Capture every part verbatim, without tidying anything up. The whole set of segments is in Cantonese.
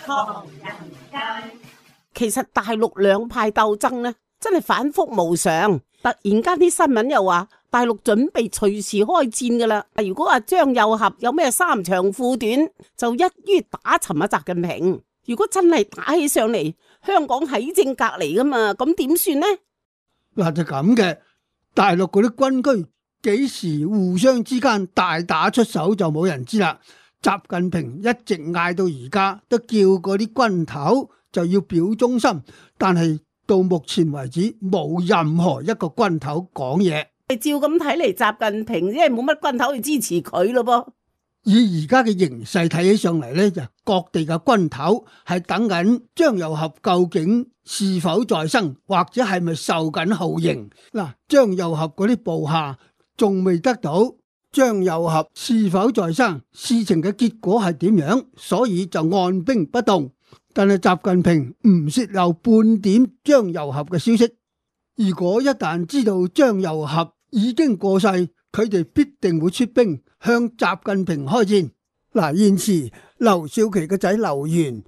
唐人街。其實大陸兩派鬥爭呢，真係反覆無常。突然間啲新聞又話大陸準備隨時開戰噶啦。如果話張又俠有咩三長褲短，就一於打沉阿習近平。如果真係打起上嚟，香港喺正隔籬噶嘛，咁點算呢？嗱，就咁嘅，大陸嗰啲軍區幾時互相之間大打出手就冇人知啦。習近平一直嗌到而家，都叫嗰啲軍頭就要表忠心，但係到目前為止冇任何一個軍頭講嘢。照咁睇嚟，習近平因為冇乜軍頭去支持佢咯噃。以而家嘅形勢睇起上嚟呢，就各地嘅軍頭係等緊張又俠究竟是否在生，或者係咪受緊酷刑。嗱，張又俠嗰啲部下仲未得到張又俠是否在生，事情嘅結果係點樣，所以就按兵不動。但係習近平唔泄漏半點張又俠嘅消息。如果一旦知道張又俠已經過世，佢哋必定會出兵向習近平開戰。嗱，現時劉少奇嘅仔劉源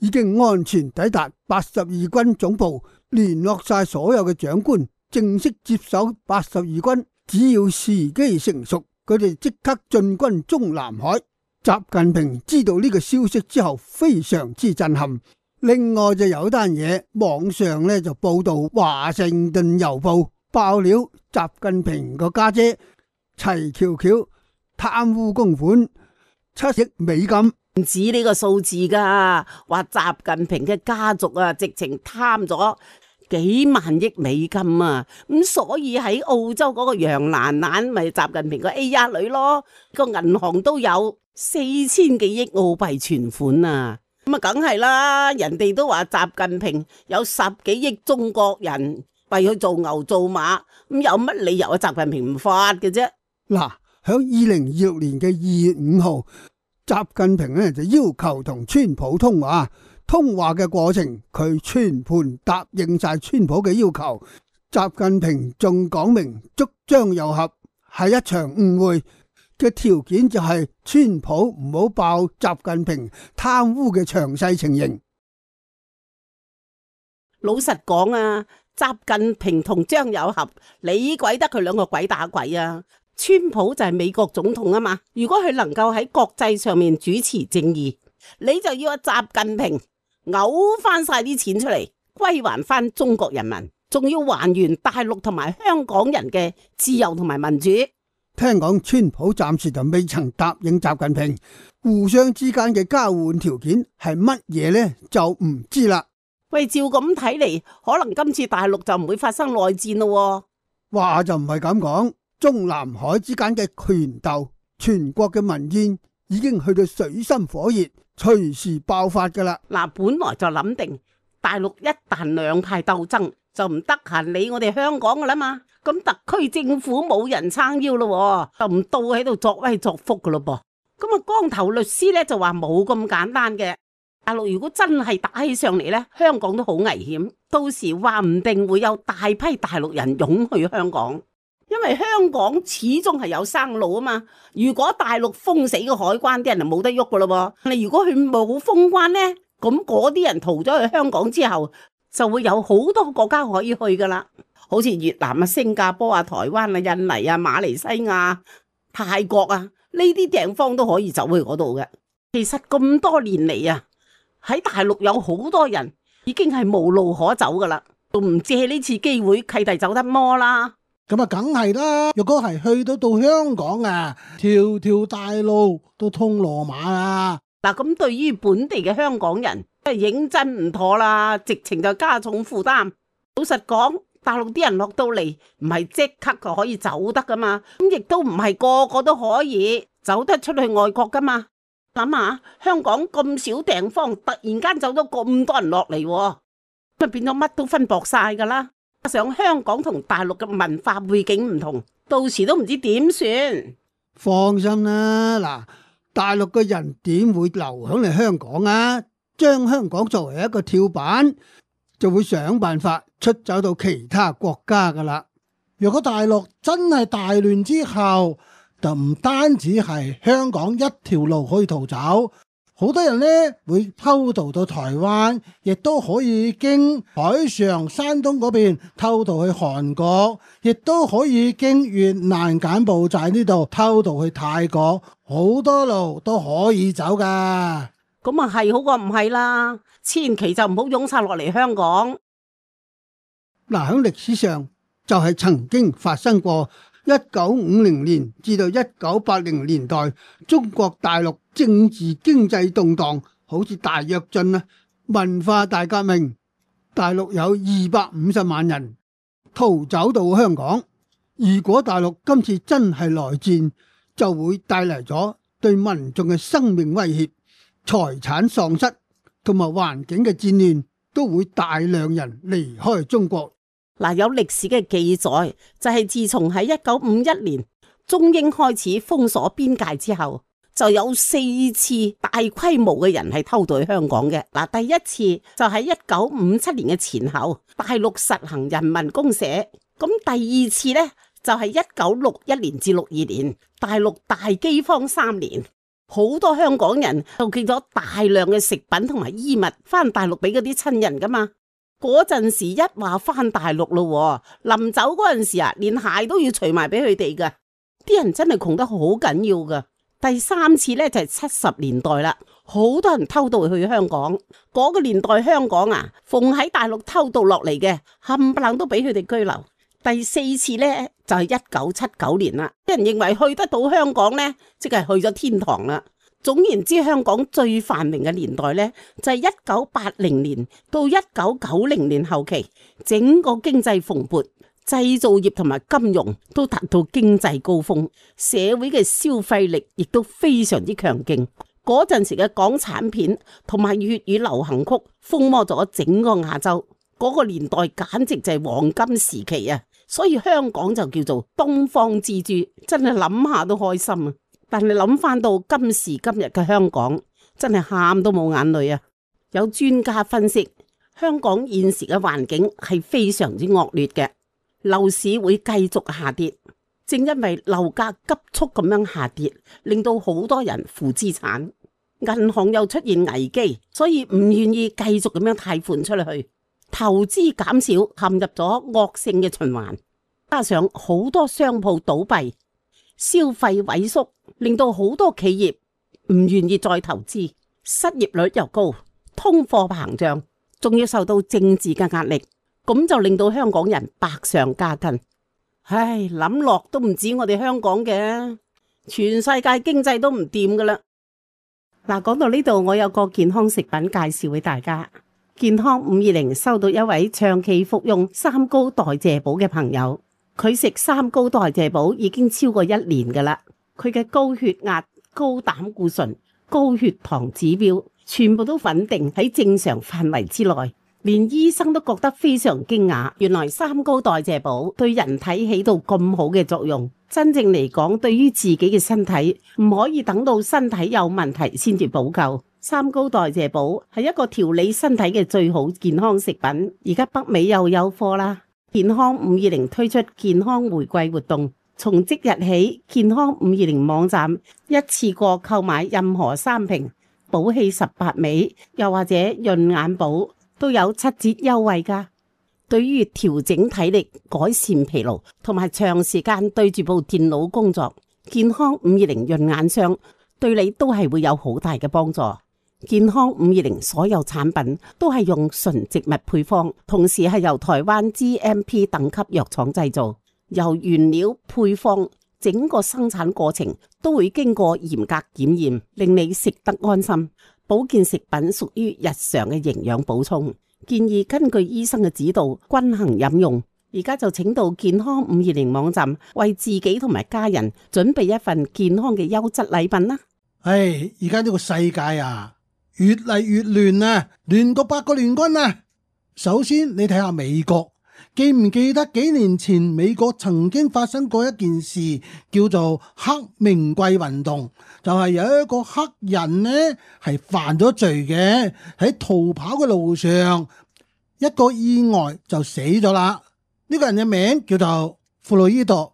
已經安全抵達八十二軍總部，聯絡晒所有嘅長官，正式接手八十二軍。只要時機成熟，佢哋即刻進軍中南海。習近平知道呢個消息之後，非常之震撼。另外就有單嘢，網上咧就報道華盛頓郵報爆料，習近平個家姐齊喬喬貪污公款七億美金。唔止呢個數字噶，話習近平嘅家族啊，直情貪咗幾萬億美金啊！咁所以喺澳洲嗰個楊蘭蘭咪習近平個 A 一女咯，個銀行都有四千幾億澳幣存款啊！咁啊，梗係啦，人哋都話習近平有十幾億中國人為佢做牛做馬，咁有乜理由啊？習近平唔發嘅啫？嗱，響二零二六年嘅二月五號，習近平咧就要求同川普通話。通話嘅過程，佢全盤答應晒川普嘅要求。習近平仲講明捉張又俠係一場誤會嘅條件，就係川普唔好爆習近平貪污嘅詳細情形。老實講啊，習近平同張又俠，你鬼得佢兩個鬼打鬼啊！川普就係美國總統啊嘛，如果佢能夠喺國際上面主持正義，你就要阿習近平嘔翻晒啲錢出嚟，歸還翻中國人民，仲要還原大陸同埋香港人嘅自由同埋民主。聽講川普暫時就未曾答應習近平，互相之間嘅交換條件係乜嘢呢？就唔知啦。喂，照咁睇嚟，可能今次大陸就唔會發生內戰咯。話就唔係咁講，中南海之間嘅權鬥，全國嘅民怨已經去到水深火熱，隨時爆發噶啦。嗱，本來就諗定大陸一旦兩派鬥爭，就唔得閒理我哋香港噶啦嘛。咁特區政府冇人撐腰咯，就唔到喺度作威作福噶咯噃。咁啊，光頭律師咧就話冇咁簡單嘅。大陸如果真係打起上嚟咧，香港都好危險。到時話唔定會有大批大陸人湧去香港，因為香港始終係有生路啊嘛。如果大陸封死個海關，啲人就冇得喐噶咯噃。你如果佢冇封關咧，咁嗰啲人逃咗去香港之後，就會有好多國家可以去噶啦。好似越南啊、新加坡啊、台灣啊、印尼啊、馬來西亞、泰國啊，呢啲地方都可以走去嗰度嘅。其實咁多年嚟啊，喺大陸有好多人已經係無路可走噶啦，仲唔借呢次機會契弟走得摩啦？咁啊，梗係啦！若果係去到到香港啊，條條大路都通羅馬啊！嗱，咁對於本地嘅香港人，真係認真唔妥啦，直情就加重負擔。老實講，大陸啲人落到嚟唔係即刻就可以走得噶嘛，咁亦都唔係個個都可以走得出去外國噶嘛。諗下香港咁少地方，突然間走咗咁多人落嚟，咁變咗乜都分薄晒噶啦。加上香港同大陸嘅文化背景唔同，到時都唔知點算。放心啦，嗱，大陸嘅人點會留響嚟香港啊？將香港作為一個跳板，就會想辦法出走到其他國家噶啦。若果大陸真係大亂之後，就唔單止係香港一條路可以逃走，好多人呢會偷渡到台灣，亦都可以經海上山東嗰邊偷渡去韓國，亦都可以經越南柬埔寨呢度偷渡去泰國，好多路都可以走噶。咁啊係好過唔係啦，千祈就唔好湧晒落嚟香港。嗱，喺歷史上就係曾經發生過一九五零年至到一九八零年代，中國大陸政治經濟動盪，好似大躍進啊、文化大革命，大陸有二百五十萬人逃走到香港。如果大陸今次真係來戰，就會帶嚟咗對民眾嘅生命威脅、財產喪失同埋環境嘅戰亂，都會大量人離開中國。嗱，有歷史嘅記載，就係自從喺一九五一年中英開始封鎖邊界之後，就有四次大規模嘅人係偷渡去香港嘅。嗱，第一次就喺一九五七年嘅前後，大陸實行人民公社。咁第二次呢，就係一九六一年至六二年，大陸大饑荒三年，好多香港人就寄咗大量嘅食品同埋衣物翻大陸俾嗰啲親人噶嘛。嗰陣時一話翻大陸咯，臨走嗰陣時啊，連鞋都要除埋俾佢哋噶，啲人真係窮得好緊要噶。第三次呢，就係七十年代啦，好多人偷渡去香港。嗰個年代香港啊，逢喺大陸偷渡落嚟嘅冚唪唥都俾佢哋居留。第四次呢，就係一九七九年啦，啲人認為去得到香港呢，即係去咗天堂啦。總言之，香港最繁榮嘅年代呢，就係一九八零年到一九九零年後期，整個經濟蓬勃，製造業同埋金融都達到經濟高峰，社會嘅消費力亦都非常之強勁。嗰陣時嘅港產片同埋粵語流行曲風靡咗整個亞洲，嗰個年代簡直就係黃金時期啊！所以香港就叫做東方之珠，真係諗下都開心啊！但係諗翻到今時今日嘅香港，真係喊都冇眼淚啊！有專家分析，香港現時嘅環境係非常之惡劣嘅，樓市會繼續下跌。正因為樓價急速咁樣下跌，令到好多人負資產，銀行又出現危機，所以唔願意繼續咁樣貸款出去，投資減少，陷入咗惡性嘅循環。加上好多商鋪倒閉，消費萎縮，令到好多企業唔願意再投資，失業率又高，通貨膨脹，仲要受到政治嘅壓力，咁就令到香港人百上加斤。唉，諗落都唔止我哋香港嘅，全世界經濟都唔掂噶啦。嗱，講到呢度，我有個健康食品介紹俾大家。健康五二零收到一位長期服用三高代謝寶嘅朋友。佢食三高代謝寶已經超過一年噶啦，佢嘅高血壓、高膽固醇、高血糖指標全部都穩定喺正常範圍之內，連醫生都覺得非常驚訝。原來三高代謝寶對人體起到咁好嘅作用，真正嚟講，對於自己嘅身體唔可以等到身體有問題先至補救。三高代謝寶係一個調理身體嘅最好健康食品，而家北美又有貨啦。健康五二零推出健康回饋活動，從即日起，健康五二零網站一次過購買任何三瓶寶氣十八味，又或者潤眼寶，都有七折優惠噶。對於調整體力、改善疲勞同埋長時間對住部電腦工作，健康五二零潤眼霜對你都係會有好大嘅幫助。健康五二零所有產品都係用純植物配方，同時係由台灣 G M P 等級藥廠製造，由原料、配方整個生產過程都會經過嚴格檢驗，令你食得安心。保健食品屬於日常嘅營養補充，建議根據醫生嘅指導均衡飲用。而家就請到健康五二零網站為自己同埋家人準備一份健康嘅優質禮品啦。唉，而家呢個世界啊，越嚟越亂啊，亂過八個聯軍啊！首先你睇下美國，記唔記得幾年前美國曾經發生過一件事，叫做黑名貴運動，就係有一個黑人呢係犯咗罪嘅，喺逃跑嘅路上一個意外就死咗啦。呢個人嘅名叫做弗洛伊德，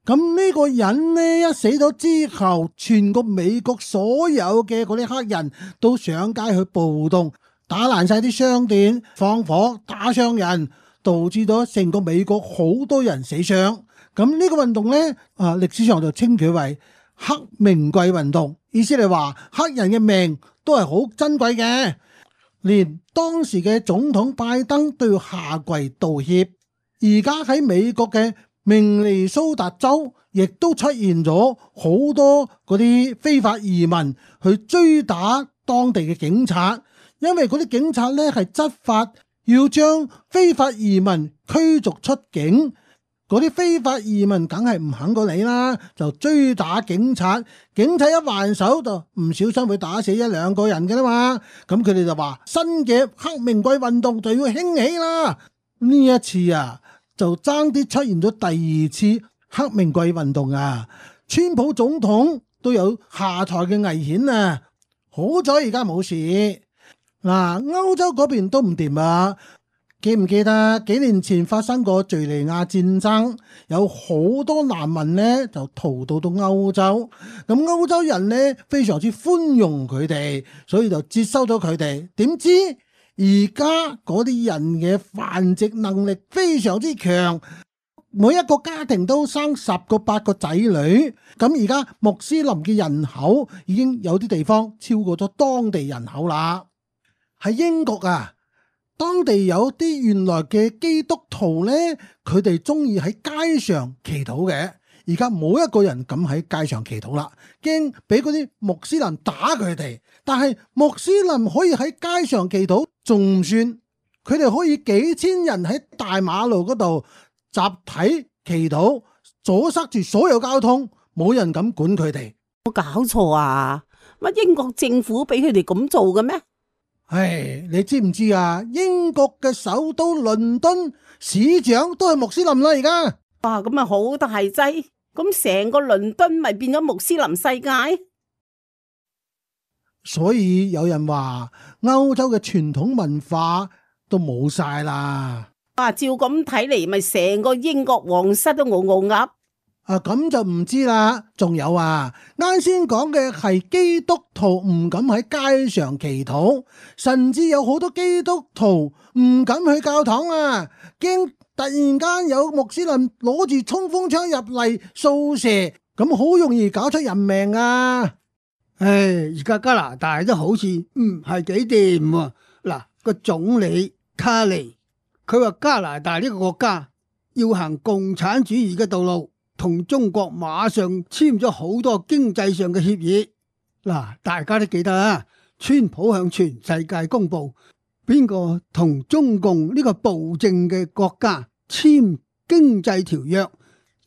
咁呢個人呢一死咗之後，全個美國所有嘅嗰啲黑人都上街去暴動，打爛晒啲商店，放火打傷人，導致咗成個美國好多人死傷。咁呢個運動呢，啊歷史上就稱佢為黑名貴運動，意思係話黑人嘅命都係好珍貴嘅，連當時嘅總統拜登都要下跪道歉。而家喺美國嘅明尼蘇達州，亦都出現咗好多嗰啲非法移民去追打當地嘅警察，因為嗰啲警察呢係執法要將非法移民驅逐出境。嗰啲非法移民梗係唔肯過你啦，就追打警察，警察一還手就唔小心會打死一兩個人嘅啦嘛。咁佢哋就話新嘅黑名貴運動就要興起啦。呢一次啊，就爭啲出現咗第二次黑名貴運動啊，川普總統都有下台嘅危險啊。好彩而家冇事。嗱，歐洲嗰邊都唔掂啊。記唔記得幾年前發生過敘利亞戰爭，有好多難民呢就逃到到歐洲，咁歐洲人呢非常之寬容佢哋，所以就接收咗佢哋。點知而家嗰啲人嘅繁殖能力非常之強，每一個家庭都生十個八個仔女，咁而家穆斯林嘅人口已經有啲地方超過咗當地人口啦。喺英國啊，當地有啲原來嘅基督徒呢，佢哋中意喺街上祈禱嘅。而家冇一個人敢喺街上祈禱啦，驚俾嗰啲穆斯林打佢哋。但係穆斯林可以喺街上祈禱，仲唔算？佢哋可以幾千人喺大馬路嗰度集體祈禱，阻塞住所有交通，冇人敢管佢哋。冇搞錯啊？乜英國政府俾佢哋咁做嘅咩？唉，你知唔知啊？英國嘅首都倫敦市長都係穆斯林啦，而家。哇，咁啊好大劑，咁成個倫敦咪變咗穆斯林世界？所以有人話歐洲嘅傳統文化都冇晒啦。啊，照咁睇嚟，咪成個英國皇室都傲傲鴨。啊，咁就唔知啦。仲有啊，啱先講嘅係基督徒唔敢喺街上祈禱，甚至有好多基督徒唔敢去教堂啊，驚突然間有穆斯林攞住衝鋒槍入嚟掃射，咁好容易搞出人命啊！唉，而家加拿大都好似唔係幾掂喎。嗱，個總理卡尼，佢話加拿大呢個國家要行共產主義嘅道路。同中國馬上簽咗好多經濟上嘅協議。嗱，大家都記得啊，川普向全世界公布邊個同中共呢個暴政嘅國家簽經濟條約，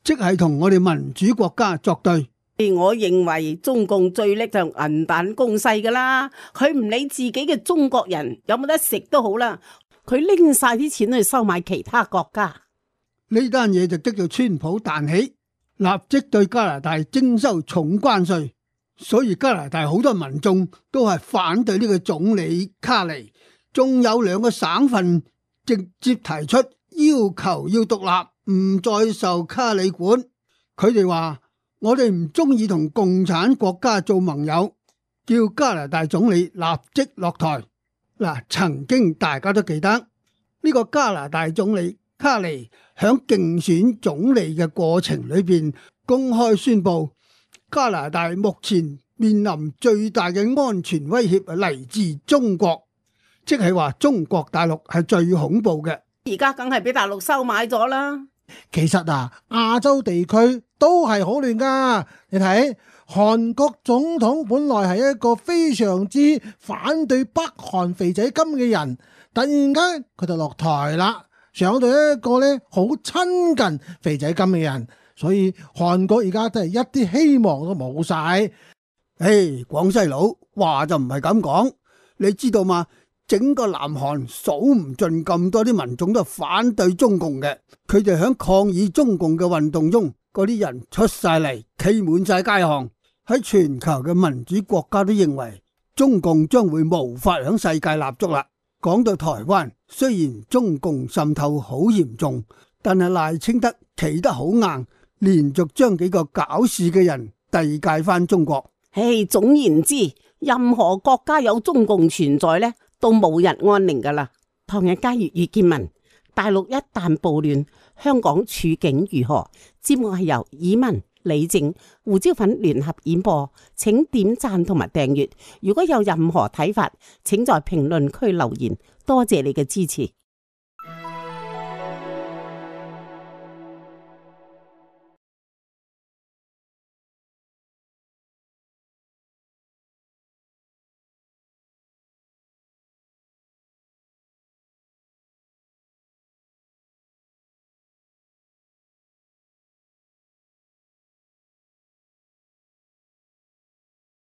即係同我哋民主國家作對。我認為中共最叻就銀彈攻勢噶啦，佢唔理自己嘅中國人有冇得食都好啦，佢拎晒啲錢去收買其他國家。呢單嘢就激到川普彈起，立即對加拿大徵收重關稅，所以加拿大好多民眾都係反對呢個總理卡尼，仲有兩個省份直接提出要求要獨立，唔再受卡尼管。佢哋話我哋唔中意同共產國家做盟友，叫加拿大總理立即落台。嗱，曾經大家都記得呢個加拿大總理卡尼響競選總理嘅過程裏邊公開宣布，加拿大目前面臨最大嘅安全威脅係嚟自中國，即係話中國大陸係最恐怖嘅。而家梗係俾大陸收買咗啦。其實啊，亞洲地區都係好亂噶。你睇韓國總統本來係一個非常之反對北韓肥仔金嘅人，突然間佢就落台啦。上到一個咧好親近肥仔金嘅人，所以韓國而家真係一啲希望都冇晒。誒，廣西佬話就唔係咁講，你知道嘛？整個南韓數唔盡咁多啲民眾都反對中共嘅，佢哋響抗議中共嘅運動中，嗰啲人出晒嚟，企滿晒街巷。喺全球嘅民主國家都認為中共將會無法響世界立足啦。講到台灣，雖然中共滲透好嚴重，但係賴清德企得好硬，連續將幾個搞事嘅人遞解翻中國。唉，總言之，任何國家有中共存在呢，都冇日安寧噶啦。唐人街粵語見聞，大陸一旦暴亂，香港處境如何？節目係由以文、李靜、胡椒粉聯合演播，請點讚同埋訂閱。如果有任何睇法，請在評論區留言。多謝你嘅支持。